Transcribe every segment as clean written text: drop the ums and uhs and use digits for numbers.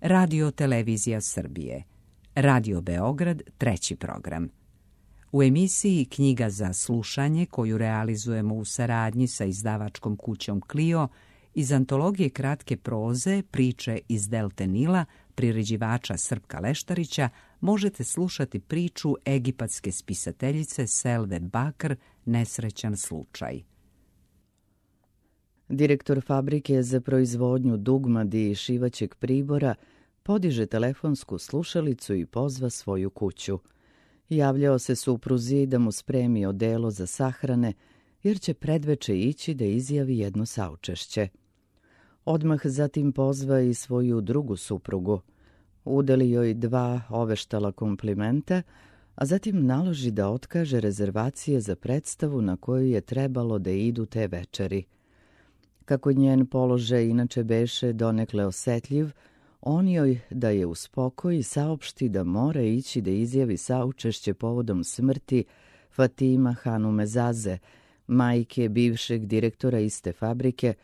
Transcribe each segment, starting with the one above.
Radio Televizija Srbije, Radio Beograd, 3. program. U emisiji Knjiga za slušanje, koju realizujemo u saradnji sa izdavačkom kućom Clio, iz antologije kratke proze Priče iz Delte Nila, priređivača Srpka Leštarića, možete slušati priču egipatske spisateljice Selve Bakr Nesrećan slučaj. Direktor fabrike za proizvodnju dugmadi i šivaćeg pribora podiže telefonsku slušalicu i pozva svoju kuću. Javljao se supruzi da mu spremi odelo za sahrane, jer će predveče ići da izjavi jedno saučešće. Odmah zatim pozva i svoju drugu suprugu. Udeli joj 2 oveštala komplimenta, a zatim naloži da otkaže rezervacije za predstavu na koju je trebalo da idu te večeri. Kako njen položaj inače beše donekle osetljiv, on joj da je uspokoji saopšti da mora ići da izjavi saučešće povodom smrti Fatima Hanume Zaze, majke bivšeg direktora iste fabrike,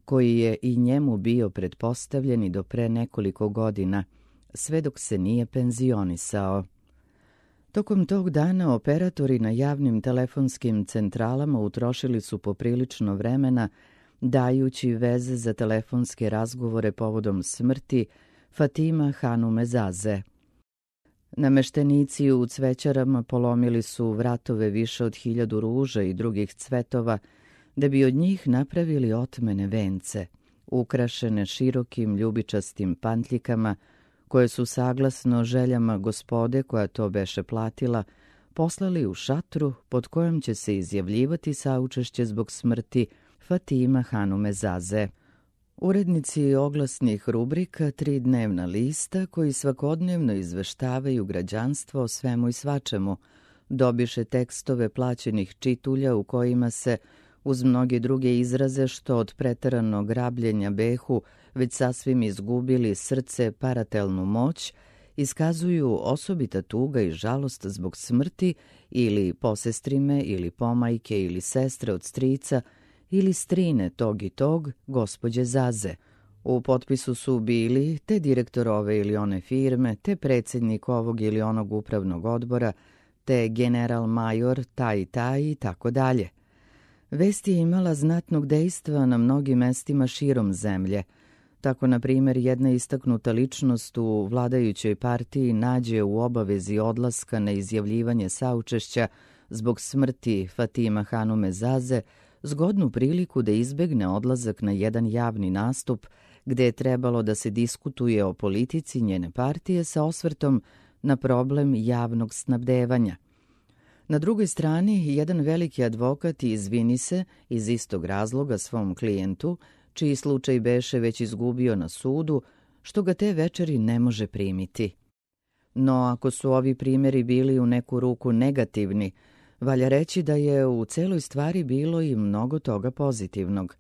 koji je i njemu bio pretpostavljen i do pre nekoliko godina, sve dok se nije penzionisao. Tokom tog dana operatori na javnim telefonskim centralama utrošili su poprilično vremena dajući veze za telefonske razgovore povodom smrti Fatima Hanume Zaze. Nameštenici u cvećarama polomili su vratove više od 1000 ruža i drugih cvetova, da bi od njih napravili otmene vence, ukrašene širokim ljubičastim pantljikama, koje su saglasno željama gospode koja to beše platila, poslali u šatru pod kojom će se izjavljivati saučešće zbog smrti Fatima Hanume Zaze. Urednici oglasnih rubrika 3 dnevna lista, koji svakodnevno izveštavaju građanstvo o svemu i svačemu, dobiše tekstove plaćenih čitulja u kojima se, uz mnoge druge izraze što od preteranog rabljenja behu već sasvim izgubili srce paratelnu moć, iskazuju osobita tuga i žalost zbog smrti ili posestrime ili pomajke ili sestre od strica ili strine tog i tog gospođe Zaze. U potpisu su bili te direktor ove ili one firme, te predsjednik ovog ili onog upravnog odbora, te general major taj i taj i tako dalje. Vest je imala znatnog dejstva na mnogim mestima širom zemlje. Tako, na primjer, jedna istaknuta ličnost u vladajućoj partiji nađe u obavezi odlaska na izjavljivanje saučešća zbog smrti Fatima Hanume Zaze zgodnu priliku da izbegne odlazak na jedan javni nastup gde je trebalo da se diskutuje o politici njene partije sa osvrtom na problem javnog snabdevanja. Na drugoj strani, jedan veliki advokat izvini se iz istog razloga svom klijentu, čiji slučaj beše već izgubio na sudu, što ga te večeri ne može primiti. No, ako su ovi primjeri bili u neku ruku negativni, valja reći da je u celoj stvari bilo i mnogo toga pozitivnog.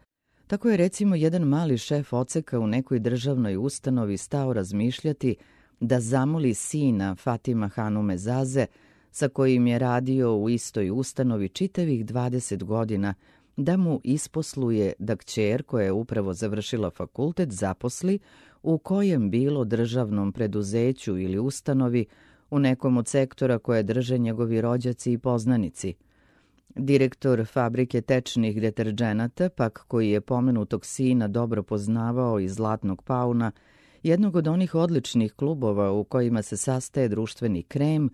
Tako je recimo jedan mali šef odseka u nekoj državnoj ustanovi stao razmišljati da zamoli sina Fatima Hanume Zaze, sa kojim je radio u istoj ustanovi čitavih 20 godina, da mu isposluje da kćer koja je upravo završila fakultet zaposli u kojem bilo državnom preduzeću ili ustanovi u nekom od sektora koje drže njegovi rođaci i poznanici. Direktor fabrike tečnih deterdženata, pak koji je pomenutog sina dobro poznavao iz Zlatnog pauna, jednog od onih odličnih klubova u kojima se sastaje društveni krem,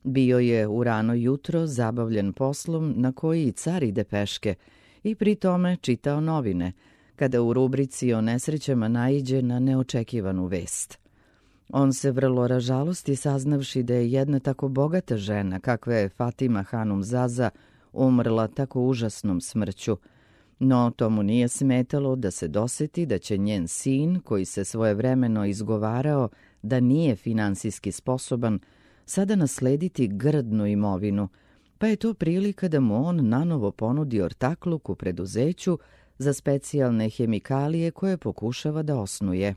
bio je u rano jutro zabavljen poslom na koji i car ide peške i pri tome čitao novine, kada u rubrici o nesrećama naiđe na neočekivanu vest. On se vrlo ražalosti saznavši da je jedna tako bogata žena, kakva je Fatima Hanum Zaza, umrla tako užasnom smrću, no to mu nije smetalo da se doseti da će njen sin, koji se svojevremeno izgovarao da nije finansijski sposoban, sada naslediti grdnu imovinu, pa je to prilika da mu on nanovo ponudi ortakluk u preduzeću za specijalne hemikalije koje pokušava da osnuje.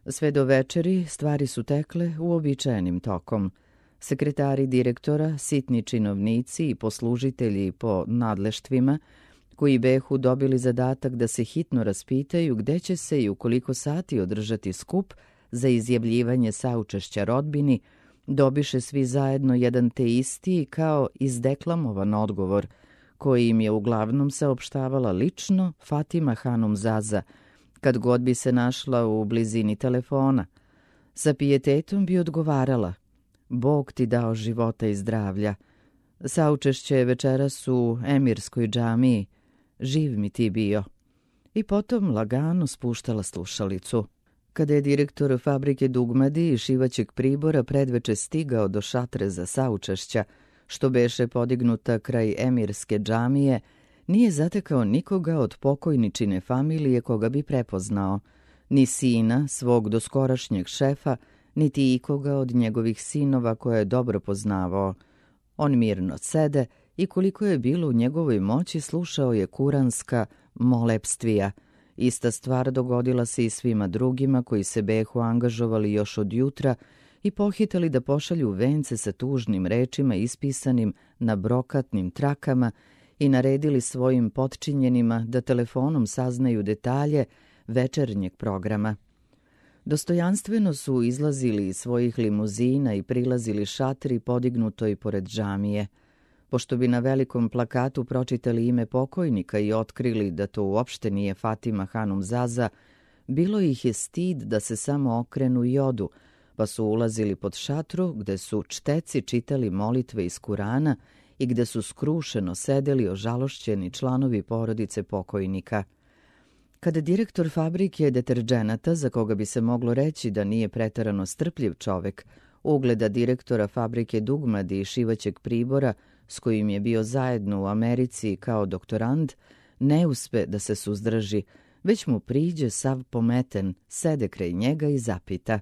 Sve do večeri stvari su tekle uobičajenim tokom. Sekretari direktora, sitni činovnici i poslužitelji po nadleštvima, koji behu dobili zadatak da se hitno raspitaju gde će se i u koliko sati održati skup, za izjavljivanje saučešća rodbini, dobiše svi zajedno jedan te isti kao izdeklamovan odgovor, koji im je uglavnom saopštavala lično Fatima Hanum Zaza, kad god bi se našla u blizini telefona. Sa pijetetom bi odgovarala: Bog ti dao života i zdravlja. Saučešće je večeras u Emirskoj džamiji. Živ mi ti bio. I potom lagano spuštala slušalicu. Kada je direktor fabrike dugmadi i šivaćeg pribora predveče stigao do šatre za saučešća, što beše podignuta kraj Emirske džamije, nije zatekao nikoga od pokojničine familije koga bi prepoznao, ni sina, svog doskorašnjeg šefa, niti ikoga od njegovih sinova koje je dobro poznavao. On mirno sede i koliko je bilo u njegovoj moći slušao je kuranska molepstvija. Ista stvar dogodila se i svima drugima koji se behu angažovali još od jutra i pohitali da pošalju vence sa tužnim rečima ispisanim na brokatnim trakama i naredili svojim potčinjenima da telefonom saznaju detalje večernjeg programa. Dostojanstveno su izlazili iz svojih limuzina i prilazili šatri podignutoj pored džamije. Pošto bi na velikom plakatu pročitali ime pokojnika i otkrili da to uopšte nije Fatima Hanum Zaza, bilo ih je stid da se samo okrenu i odu, pa su ulazili pod šatru gde su čteci čitali molitve iz Kurana i gde su skrušeno sedeli ožalošćeni članovi porodice pokojnika. Kada direktor fabrike deterđenata, za koga bi se moglo reći da nije preterano strpljiv čovek, ugleda direktora fabrike dugmadi i šivaćeg pribora, s kojim je bio zajedno u Americi kao doktorand, ne uspe da se suzdrži, već mu priđe sav pometen, sede kraj njega i zapita: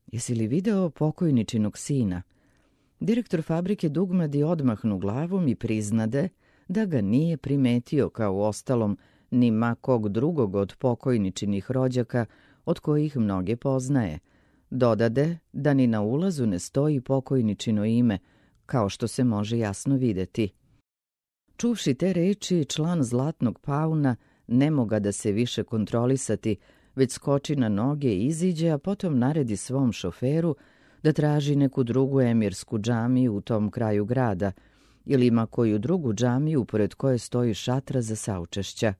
Jesi li video pokojničinog sina? Direktor fabrike dugmadi odmahnu glavom i priznade da ga nije primetio kao ostalom ni ma kog drugog od pokojničinih rođaka od kojih mnoge poznaje. Dodade da ni na ulazu ne stoji pokojničino ime, kao što se može jasno videti. Čuvši te reči, član Zlatnog pauna ne moga da se više kontrolisati, već skoči na noge i iziđe, a potom naredi svom šoferu da traži neku drugu emirsku džamiju u tom kraju grada ili ima koju drugu džamiju pored koje stoji šatra za saučešća.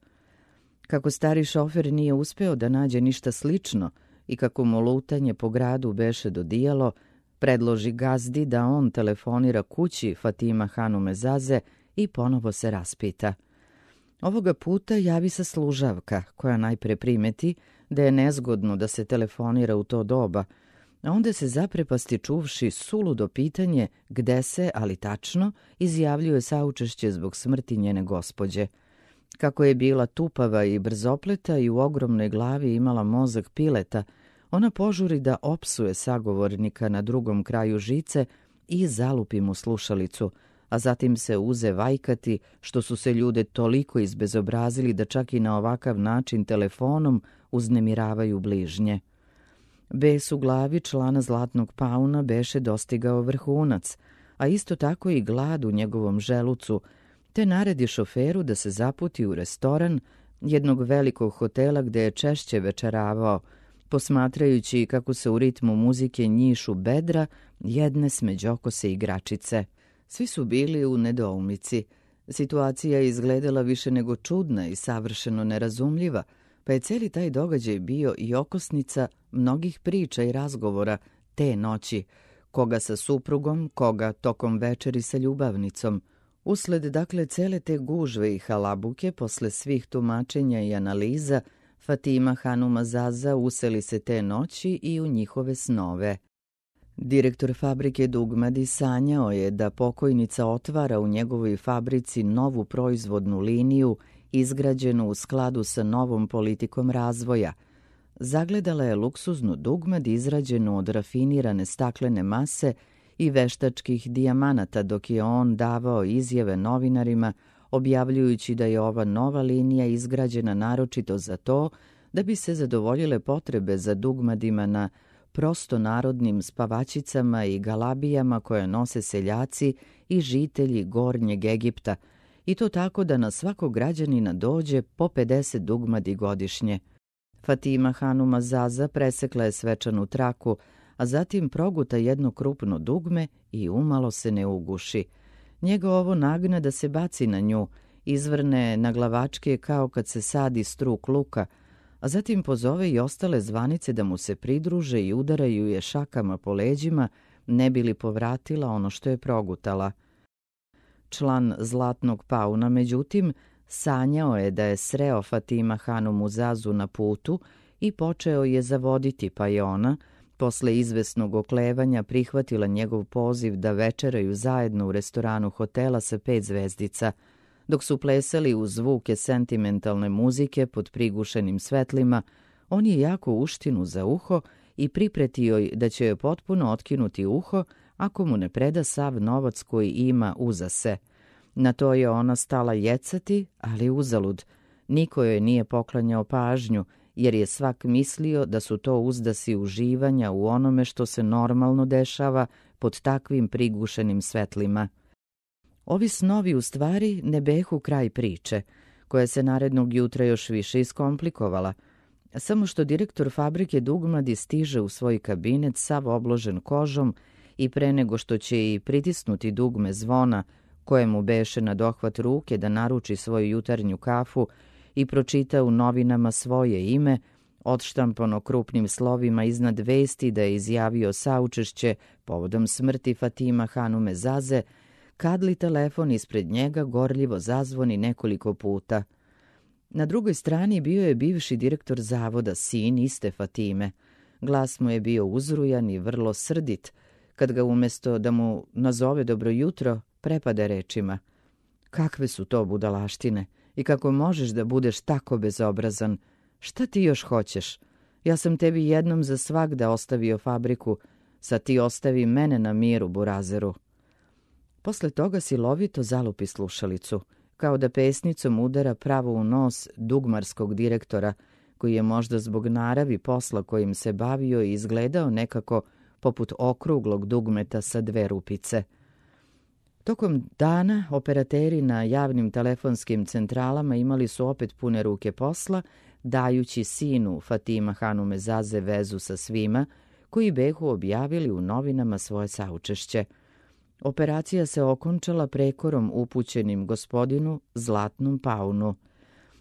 Kako stari šofer nije uspeo da nađe ništa slično i kako mu lutanje po gradu beše dodijalo, predloži gazdi da on telefonira kući Fatima Hanume Zaze i ponovo se raspita. Ovoga puta javi se služavka, koja najpre primeti da je nezgodno da se telefonira u to doba, a onda se zaprepasti čuvši suludo pitanje gde se, ali tačno, izjavljuje saučešće zbog smrti njene gospođe. Kako je bila tupava i brzopleta i u ogromnoj glavi imala mozak pileta, ona požuri da opsuje sagovornika na drugom kraju žice i zalupi mu slušalicu, a zatim se uze vajkati što su se ljude toliko izbezobrazili da čak i na ovakav način telefonom uznemiravaju bližnje. Bes u glavi člana Zlatnog pauna beše dostigao vrhunac, a isto tako i glad u njegovom želucu, te naredi šoferu da se zaputi u restoran jednog velikog hotela gde je češće večeravao, posmatrajući kako se u ritmu muzike njišu bedra jedne smeđokose igračice. Svi su bili u nedoumici. Situacija je izgledala više nego čudna i savršeno nerazumljiva, pa je cijeli taj događaj bio i okosnica mnogih priča i razgovora te noći, koga sa suprugom, koga tokom večeri sa ljubavnicom. Usled dakle cele te gužve i halabuke, posle svih tumačenja i analiza, Fatima Hanuma Zaza useli se te noći i u njihove snove. Direktor fabrike dugmadi sanjao je da pokojnica otvara u njegovoj fabrici novu proizvodnu liniju izgrađenu u skladu sa novom politikom razvoja. Zagledala je luksuznu dugmad izrađenu od rafinirane staklene mase i veštačkih dijamanata dok je on davao izjave novinarima objavljujući da je ova nova linija izgrađena naročito za to da bi se zadovoljile potrebe za dugmadima na prostonarodnim spavačicama i galabijama koje nose seljaci i žitelji Gornjeg Egipta, i to tako da na svakog građanina dođe po 50 dugmadi godišnje. Fatima Hanuma Zaza presekla je svečanu traku, a zatim proguta jedno krupno dugme i umalo se ne uguši. Njega ovo nagne da se baci na nju, izvrne na glavačke kao kad se sadi struk luka, a zatim pozove i ostale zvanice da mu se pridruže i udaraju je šakama po leđima, ne bi li povratila ono što je progutala. Član Zlatnog pauna, međutim, sanjao je da je sreo Fatima Hanumu Zazu na putu i počeo je zavoditi, pa je ona, posle izvesnog oklevanja, prihvatila njegov poziv da večeraju zajedno u restoranu hotela sa 5 zvezdica, dok su plesali uz zvuke sentimentalne muzike pod prigušenim svetlima. On je jako uštinu za uho i pripretio joj da će joj potpuno otkinuti uho ako mu ne preda sav novac koji ima uza se. Na to je ona stala jecati, ali uzalud. Niko joj nije poklanjao pažnju, jer je svak mislio da su to uzdasi uživanja u onome što se normalno dešava pod takvim prigušenim svetlima. Ovi snovi u stvari ne behu kraj priče, koja se narednog jutra još više iskomplikovala, samo što direktor fabrike Dugmadi stiže u svoj kabinet sav obložen kožom i pre nego što će i pritisnuti dugme zvona, kojemu beše na dohvat ruke da naruči svoju jutarnju kafu i pročita u novinama svoje ime, odštampano krupnim slovima iznad vesti da je izjavio saučešće povodom smrti Fatima Hanume Zaze, kadli telefon ispred njega gorljivo zazvoni nekoliko puta. Na drugoj strani bio je bivši direktor zavoda, sin iste Fatime. Glas mu je bio uzrujan i vrlo srdit, kad ga umjesto da mu nazove dobro jutro, prepade rečima: "Kakve su to budalaštine i kako možeš da budeš tako bezobrazan? Šta ti još hoćeš? Ja sam tebi jednom za svagda ostavio fabriku, sad ti ostavi mene na miru, burazeru." Posle toga silovito zalupi slušalicu, kao da pesnicom udara pravo u nos dugmarskog direktora, koji je možda zbog naravi posla kojim se bavio i izgledao nekako poput okruglog dugmeta sa 2 rupice. Tokom dana operateri na javnim telefonskim centralama imali su opet pune ruke posla, dajući sinu Fatima Hanume Zaze vezu sa svima koji behu objavili u novinama svoje saučešće. Operacija se okončala prekorom upućenim gospodinu Zlatnom paunu.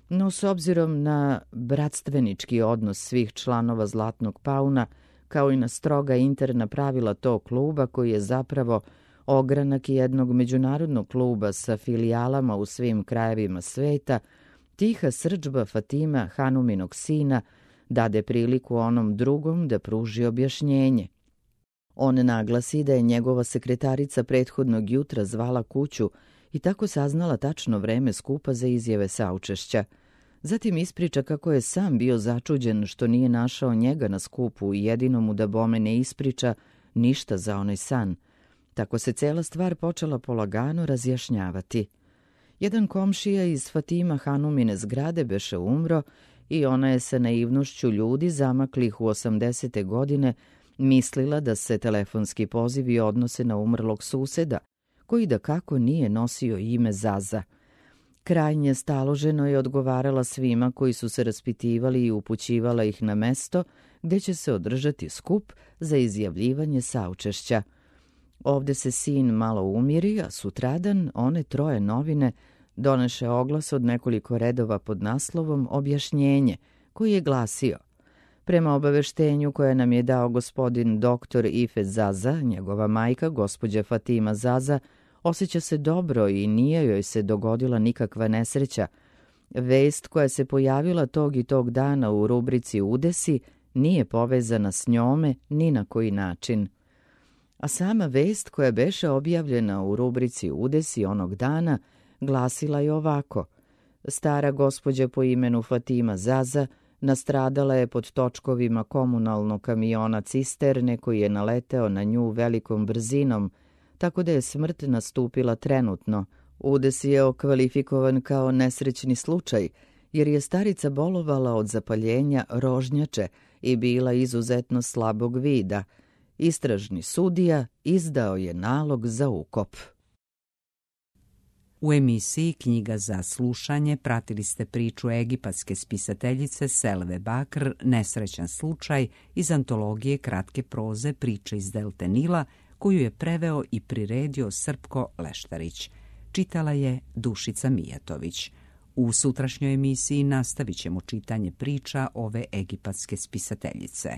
No, s obzirom na bratstvenički odnos svih članova Zlatnog pauna, kao i na stroga interna pravila tog kluba, koji je zapravo ogranak jednog međunarodnog kluba sa filijalama u svim krajevima sveta, tiha srdžba Fatima Hanuminog sina dade priliku onom drugom da pruži objašnjenje. On naglasi da je njegova sekretarica prethodnog jutra zvala kuću i tako saznala tačno vreme skupa za izjave saučešća. Zatim ispriča kako je sam bio začuđen što nije našao njega na skupu i jedino mu da bome ne ispriča ništa za onaj san. Tako se cela stvar počela polagano razjašnjavati. Jedan komšija iz Fatima Hanumine zgrade beše umro i ona je sa naivnošću ljudi zamaklih u 80. godine mislila da se telefonski pozivi odnose na umrlog suseda, koji da kako nije nosio ime Zaza. Krajnje staloženo je odgovarala svima koji su se raspitivali i upućivala ih na mesto gde će se održati skup za izjavljivanje saučešća. Ovde se sin malo umiri, a sutradan one 3 novine doneše oglas od nekoliko redova pod naslovom Objašnjenje, koji je glasio: "Prema obaveštenju koje nam je dao gospodin doktor Ifet Zaza, njegova majka, gospođa Fatima Zaza, osjeća se dobro i nije joj se dogodila nikakva nesreća. Vest koja se pojavila tog i tog dana u rubrici Udesi nije povezana s njome ni na koji način." A sama vest koja beše objavljena u rubrici Udesi onog dana glasila je ovako: "Stara gospođa po imenu Fatima Zaza nastradala je pod točkovima komunalnog kamiona cisterne koji je naleteo na nju velikom brzinom, tako da je smrt nastupila trenutno. Udes je okvalifikovan kao nesrećni slučaj, jer je starica bolovala od zapaljenja rožnjače i bila izuzetno slabog vida. Istražni sudija izdao je nalog za ukop." U emisiji Knjiga za slušanje pratili ste priču egipatske spisateljice Selve Bakr Nesrećan slučaj iz antologije kratke proze Priče iz delte Nila, koju je preveo i priredio Srpko Leštarić. Čitala je Dušica Mijatović. U sutrašnjoj emisiji nastavit ćemo čitanje priča ove egipatske spisateljice.